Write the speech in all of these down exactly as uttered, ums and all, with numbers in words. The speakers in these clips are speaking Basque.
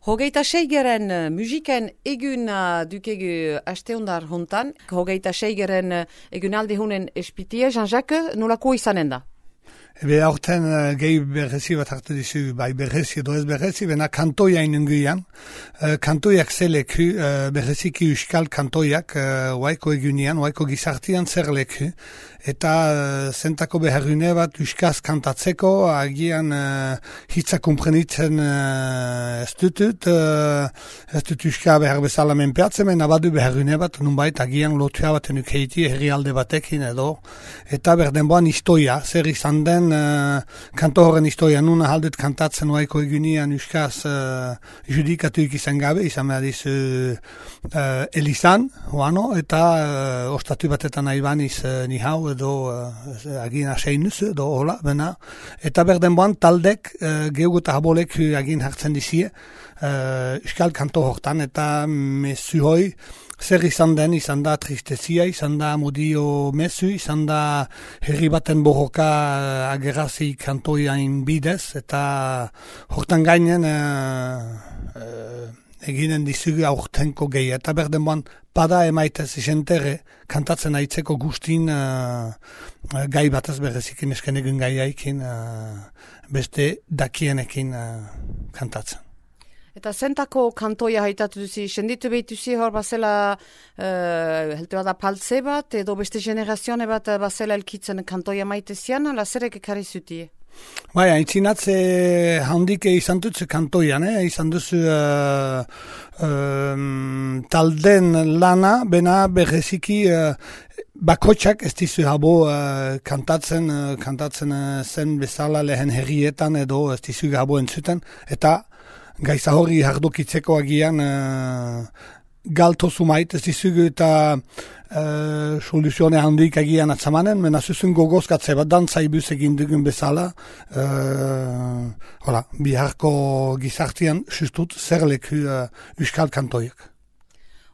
Hogeita seigeren uh, musiken egun uh, dukegu asteundar hontan. Hogeita seigeren uh, egunaldi hunen espitie, Jean-Jacques, nolako izanen da? Ebe aurten uh, gehi berrezi bat hartu dizu, bai berrezi edo ez berrezi, bena kantoia inunguian. Uh, kantoiak zeleku, uh, berreziki euskal kantoiak, uh, waiko egunian, waiko gizartian zer leku. Eta uh, zentako beharrune bat euskaz kantatzeko, agian uh, hitza komprenitzen uh, ez dutut, uh, ez dut euska behar bezala menpeatzen, mena badu beharrune bat, nunbait agian lotua baten ukeiti herrialde batekin edo. Eta berdenboan historia, zer izan den, Uh, kanto horren historia, nuna haldet kantatzen waiko egunian euskaz uh, judikatuik izan gabe, izan behadiz uh, uh, Elizan, oano, eta uh, ostatu batetan aibaniz uh, nihau edo uh, agin aseinuz edo hola, bena. Eta berdenboan taldek uh, gehugu eta habolek agin hartzen dizie uh, euskal kanto hortan, eta mesu hoi zer izan den, izan da tristezia, izan da modio mesu, izan da herri baten borroka agerazi kantoiain bidez, eta hortan gainen uh, uh, eginen dizugu aurtenko gehi. Eta berdenboan pada emaitez isentere kantatzen aitzeko gustin uh, gai batez berezikin esken egun gaiaikin uh, beste dakienekin uh, kantatzen. Eta zentako kantoia haitatu duzi, senditu behituzi hor bazela uh, helte bada paltze bat, edo beste generazione bat bazela elkitzen kantoia maitezian, ala zerek ekarri zuti? Bai, haintzinatze handik izan dutzu kantoian, eh? izan duzu uh, uh, talden lana, bena berreziki uh, bakotxak ez dizu habo uh, kantatzen, uh, kantatzen uh, zen bezala lehen herrietan edo ez dizu habo entzuten, eta gaiza hori hardokitzeko agian uh, galto sumait, ez dizugu eta uh, soluzione handik agian atzamanen, mena zuzun gogozkatze bat dantzai egin dugun bezala, uh, hola, biharko gizartian justut zerleku uh, euskal kantoiak.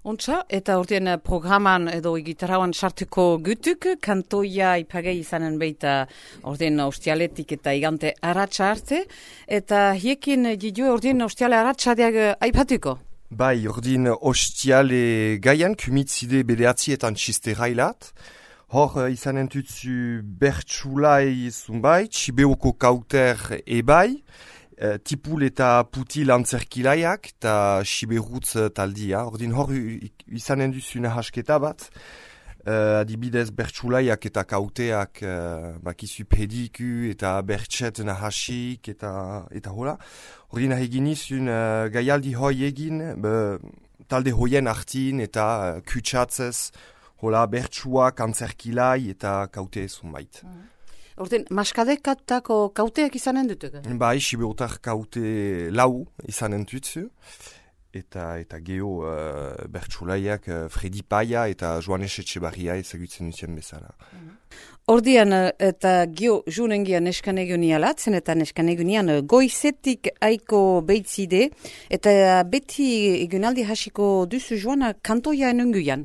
Ontsa, eta ordean programan edo gitarrauan sartuko gutuk, kantoia ipagei izanen beita ordean ostialetik eta igante aratsa arte, eta hiekin didu ordean ostiale aratsadeak aipatuko? Bai, ordean ostiale gaian, kumitzide bedeatzietan txisterailat, hor izanen tutzu bertsulai zunbai, txibeoko kauter ebai, Uh, tipul eta putil antzerkilaiak eta siberutz taldia. Ordin hor izanen duzu nahasketa bat, uh, adibidez bertsulaiak eta kauteak uh, bakizu pediku eta bertset nahasik eta, eta hola. Ordin egin izun uh, gaialdi hoi egin uh, talde hoien artin eta uh, kutsatzez hola bertsuak antzerkilai eta kaute zunbait. Mm. Orten, maskadekatako kauteak izanen dutuk? Bai, siberotar kaute lau izanen dutzu. Eta, eta geho uh, bertsulaiak uh, Fredi Paia eta Joanes Etxebarria ezagutzen dutien bezala. Ordian eta geho junengian neskan egunian latzen eta neskan egunian goizetik aiko beitzide eta beti egunaldi hasiko duzu joana kantoia enunguian.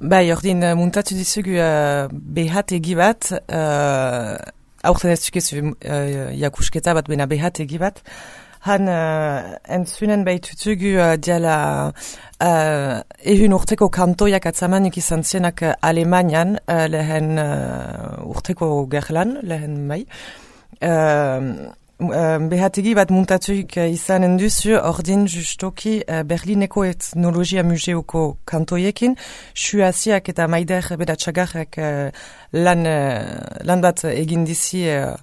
Bai, ordin muntatu dizugu uh, behat egi bat, uh, aurten ez dukezu uh, jakusketa bat, bena behat egi bat. Han uh, entzunen behitutugu uh, diala uh, ehun urteko kantoiak atzamanik izan zienak uh, Alemanian, uh, lehen uh, urteko gerlan, lehen bai. Uh, Uh, behategi bat muntatuik uh, izanen duzu, ordin justoki uh, Berlineko etnologia museoko kantoiekin, suaziak eta maider bedatxagarrak uh, lan, uh, lan bat egin dizi uh,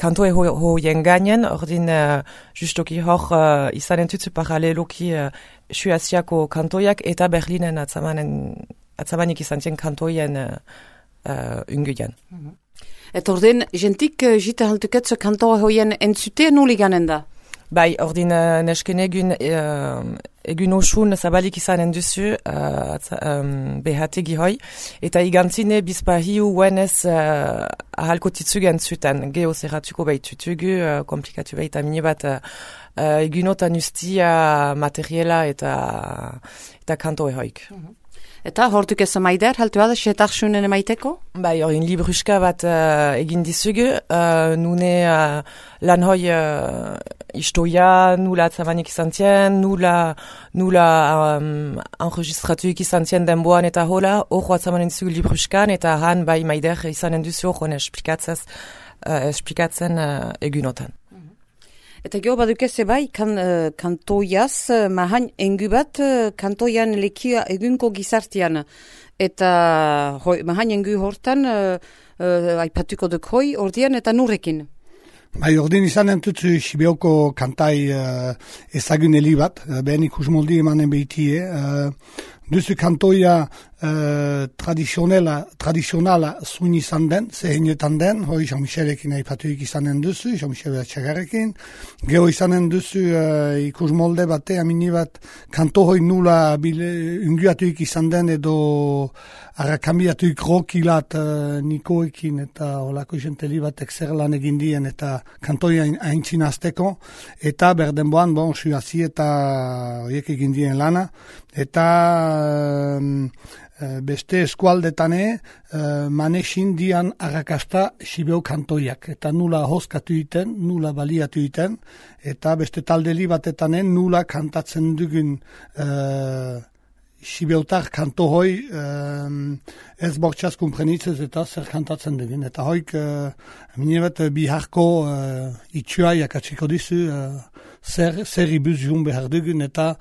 kantoe hoien ho gainen, ordin uh, justoki hor uh, izanen tutsu paraleloki uh, suaziako kantoiak eta Berlinen atzamanen, atzamanik izan zien kantoien uh, uh, unguian. Mm-hmm. Eta ordin, jentik uh, jita haltuketzo kantoa hoien entzute nuli ganen da? Bai, ordin uh, nesken egun, uh, egun osun zabalik izanen duzu uh, um, behategi hoi, eta igantzine bizpahiu uenez uh, ahalko titzugu entzuten, geho zerratuko behitutugu, uh, komplikatu behita mini bat uh, uh, egunotan ustia materiela eta, eta kantoe hoik. Mm-hmm. Eta hortuk ez maider, haltu da, setarsunen emaiteko? Bai, hori libruska bat uh, egin dizugu, uh, nune uh, lan hoi uh, istoia, nula atzamanik izan zien, nula, nula um, enregistratuik izan zien denboan eta hola, hor atzamanen dizugu libruskan, eta han bai maider izanen duzu hor esplikatzen, uh, esplikatzen uh, egunotan. Eta geho badukeze bai, kan, uh, kantoiaz, uh, mahain engu bat, uh, kantoian lekia egunko gizartian. Eta hoi, mahain engu hortan, uh, uh, aipatuko duk hoi, ordian eta nurrekin. Bai, ordin izan entutzu Sibeoko kantai uh, ezaguneli bat, uh, behen ikus moldi emanen behitie. Uh, duzu kantoia uh, tradizionala, tradizionala zuin izan den, zehenetan den, hoi Jean-Michelekin aipatuik izanen duzu, Jean-Michel Bertxagarekin. Geho izanen duzu uh, ikus molde bate, amini bat, kanto hoi nula bile, unguatuik izan den edo arrakambiatuik rokilat uh, Nikoekin eta holako jenteli batek zer lan egin dien eta kantoia haintzin azteko, eta berdenboan, bon, suazi eta horiek egin dien lana, eta um, beste eskualdetane uh, manesin dian arrakasta Sibeo kantoiak, eta nula hozkatu iten, nula baliatu iten, eta beste taldeli batetanen nula kantatzen dugun uh, Sibeotar kanto hoi um, ez bortxaz kumprenitzez eta zer kantatzen dugun. Eta hoik, uh, minebat biharko uh, itxua jakatsiko dizu uh, zer, zer ibuz jun behar dugun eta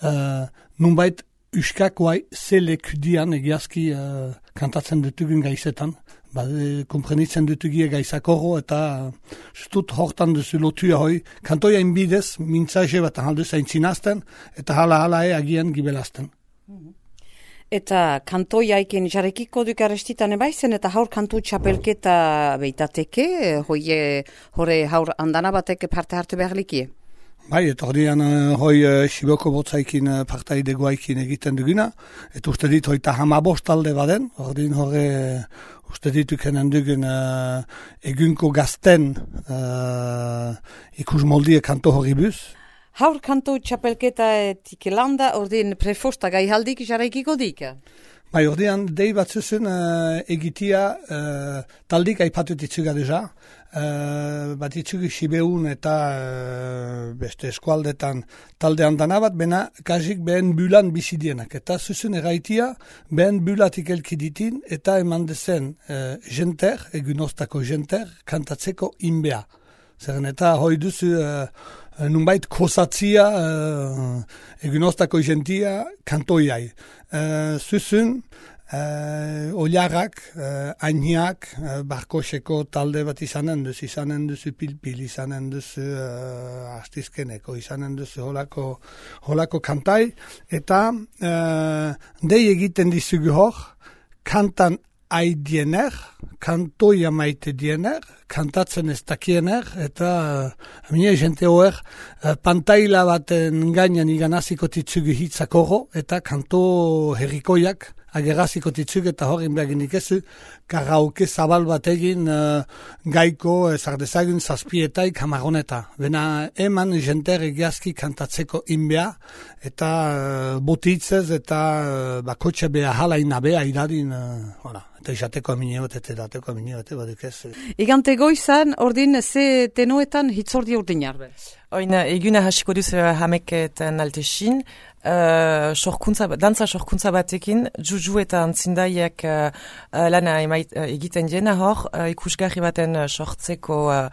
uh, nunbait uskak guai zelekudian egiazki uh, kantatzen dutugun gaizetan. Ba, kumprenitzen dutugie gaizakoro eta uh, justut hortan duzu lotua hoi. Kantoia inbidez, mintzaje bat ahalduz aintzinazten eta hala-hala e agian gibelazten. Eta kantoiaiken jarrekiko duk arrestitan ebaizen, eta haur kantu txapelketa beitateke, hoi, hore haur andana batek parte hartu behar likie? Bai, eta horrean uh, hoi uh, Sibeoko botzaikin uh, partaide guaikin egiten duguna, eta uste dit hoita hamabost talde baden, horrein horre uh, uste dituken dugun uh, egunko gazten uh, ikus moldie kanto hori buz. Haur kanto txapelketa etik landa, ordin prefosta gai haldik jarraikiko dik? Bai, ordean, dei bat zuzen uh, egitia uh, taldik aipatut itzuga deja. Uh, bat itzugu Sibeun eta uh, beste eskualdetan talde handana bat, bena kazik behen bulan bizidienak. Eta zuzen eraitia, behen bulatik elkiditin eta eman dezen uh, jenter, egunostako jenter, kantatzeko inbea. Zeren eta hoi duzu uh, nunbait kosatzia uh, egunostako jentia kantoiai. Uh, zuzun, uh, oliarrak, uh, ainiak, uh, barkoseko talde bat izanen duzu, izanen duzu pilpil, izanen duzu uh, astizkeneko, izanen duzu holako, holako kantai, eta uh, dei egiten dizugu hor, kantan aidiener, kantoia maite diener, kantatzen ez dakiener, eta uh, mine jente hoer, uh, pantaila baten gainan iganaziko titzugu hitzakoro, eta kanto herrikoiak ageraziko titzuk eta horren behaginik ezu, karaoke zabal bat egin uh, gaiko ezardezagun zazpietaik hamaroneta. Bena eman jenter egiazki kantatzeko inbea, eta uh, botitzez eta uh, bakotxe beha halaina beha idadin, uh, hola. Eta izateko amineot, eta edateko amineot, baduk ez. Igante goizan, ordin, ze tenoetan hitzordi ordin jarbe? Oin, eguna hasiko duz hameketan altesin, uh, sorkuntza, dantza sorkuntza batekin, juju eta antzindaiek uh, lana emait, uh, egiten diena hor, uh, ikusgarri baten uh, sortzeko uh,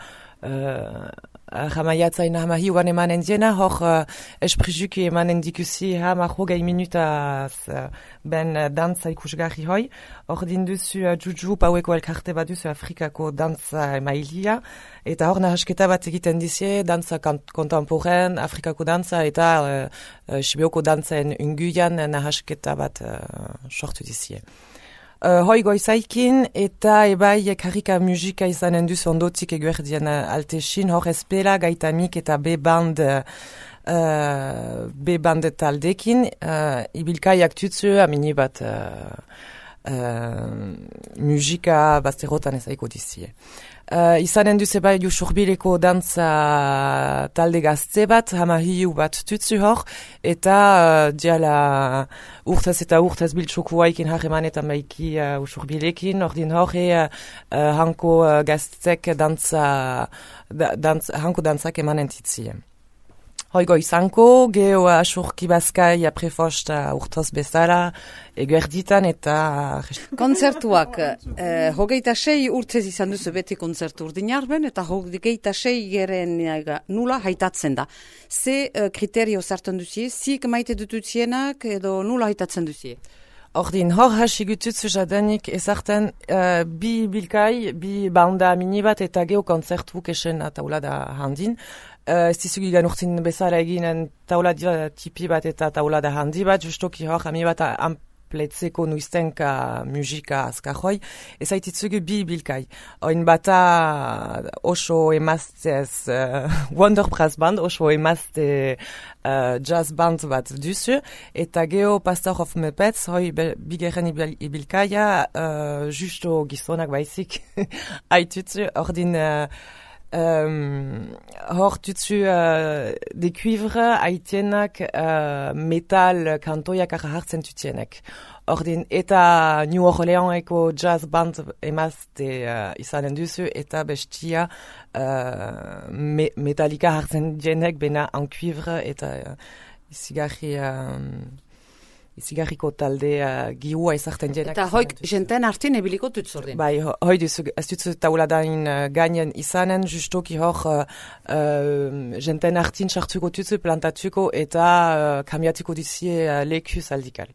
uh, jamaiatzain hamahi ugan emanen diena, hor uh, esprizuki emanen dikusi hama hogei minutaz uh, ben uh, dantza ikusgarri hoi. Hor dinduzu uh, juju paueko elkarte bat duzu Afrikako dantza emailia, eta hor nahasketa bat egiten dizie, dantza kontemporen, Afrikako dantza eta uh, uh, Sibeoko dantzaen unguian nahasketa bat uh, sortu dizie. Uh, hoi goizaikin eta ebai karika musika izanen duz ondotik eguerdien uh, altesin, hor espela gaitamik eta B-band uh, B-band taldekin, uh, ibilkaiak tutzu amini bat uh, uh, musika bazterrotan ezaiko dizie. Uh, izanen duze bai Usurbileko dantza talde gazte bat, hamahiu bat tutsu hor, eta uh, diala urtez eta urtez biltxoku haikin harremanetan baiki uh, Usurbilekin, ordin hor e uh, uh, hanko uh, gaztek dantza, da, dantz, hanko dantzak emanen titzien. Hoigo izanko, geho asurki bazkai aprefosta urtoz bezala, eguerditan eta... Konzertuak, eh, hogeita sei urtez izan duzu beti konzertu urdinarben, eta hogeita sei geren nula haitatzen da. Ze eh, kriterio zartan duzie, zik maite dututzienak edo nula haitatzen duzie? Ordin, hor hasi gututzu jadanik ezarten uh, bi bilkai, bi banda mini bat eta geho konzertu kesen taula da handin. Uh, ez dizugi ganurtin bezala eginen taula tipi bat eta taula da handi bat, justoki hor hami bat ampletzeko nuiztenka musika azkajoi, ez haititzugu bi bilkai. Oin bata oso emaztez uh, Wonder Brass Band, oso emazte uh, jazz band bat duzu, eta geho Pastor of Muppets, hoi bigeren ibilkaia, uh, justo gizonak baizik haitutzu, ordin... Uh, Um, hor tutsu uh, de cuivre haitienak uh, metal kantoiak hartzen tutienek. Ordin eta New Orleanseko jazz band emazte uh, izanen duzu eta bestia uh, me metalika hartzen dienek bena en cuivre eta uh, izigarri... Um, izigarriko talde uh, gihua izarten dienak. Eta hoik jenten artin ebiliko tutzordin. Bai, ho, hoi duzu, ez duzu tauladain uh, gainen izanen, justoki hor uh, uh, jenten artin sartuko tutzu, plantatuko eta uh, kamiatiko dizie uh, lekuz aldikal.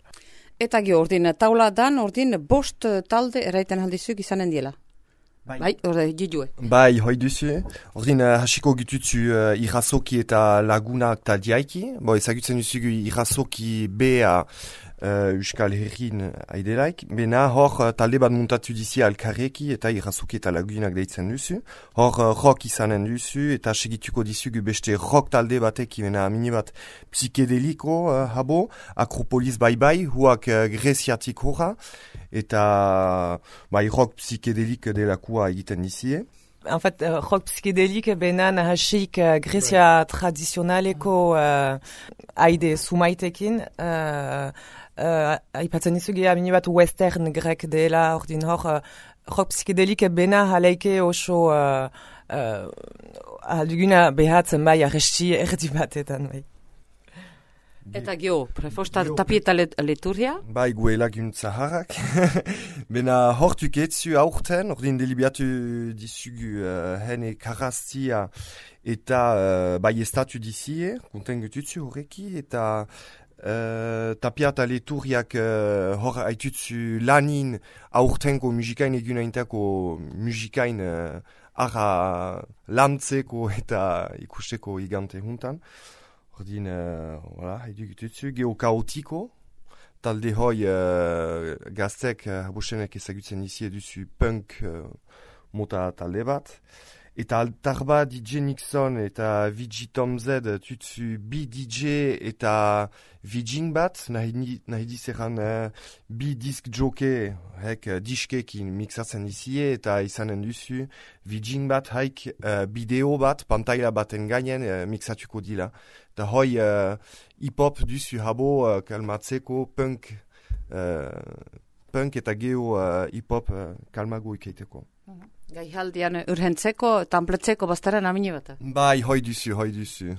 Eta ge ordin, tauladan ordin bost talde eraiten aldizuk izanen diela. Bai, bai orde, jidue. Bai, hoi duzu. Ordin, uh, hasiko gitutzu uh, irrazoki eta lagunak taldiaiki. Bo, ezagutzen duzugu irrazoki bea uh, Euskal Herrin aidelaik. Bena, hor uh, talde bat muntatu dizi alkarreki eta irrazoki eta lagunak deitzen duzu. Hor uh, rock izanen duzu eta segituko dizugu beste rock talde batek bena mini bat psikedeliko uh, habo. Akropolis bai bai, huak uh, greziatik horra. Eta bai rock psikedelik delakua egiten dizie. En fait, uh, rock psikedelik benan hasik uh, Grezia right. tradizionaleko uh, aide sumaitekin. Uh, uh, aipatzen izugi amini bat western grek dela, ordin hor uh, rock psikedelik bena haleike oso uh, uh, alduguna behatzen bai arresti erdi batetan bai. Eta geho, prefosta tapieta leturria? Bai, guelak untzaharrak. Bena hortuk etzu aurten, ordin delibiatu dizugu uh, hene karaztia eta uh, bai estatu dizie, konten gututzu horreki, eta uh, tapieta leturriak uh, hor haitutzu lanin aurtenko musikain egunaintako musikain uh, ara lantzeko eta ikusteko igante juntan. Ordin, uh, voilà, haidu gututzu, geho kaotiko, talde hoi uh, gaztek, uh, habosenek ezagutzen izi eduzu punk uh, mota talde bat. Eta altarba D J Nixon eta V G Tom Z tutzu bi D J eta Vijing bat, nahi, nahi dizeran uh, bi disk joke hek uh, diskekin mixatzen izie eta izanen duzu Vijing bat haik uh, bideo bat, pantaila baten gainen uh, mixatuko dila. Da hoi uh, hip-hop duzu habo uh, kalmatzeko punk, uh, punk eta geho uh, hip-hop uh, kalmago ikeiteko. Uh-huh. Gai haldian urhentzeko, tampletzeko baztaren amine bat? Bai, hoi duzu, hoi duzu.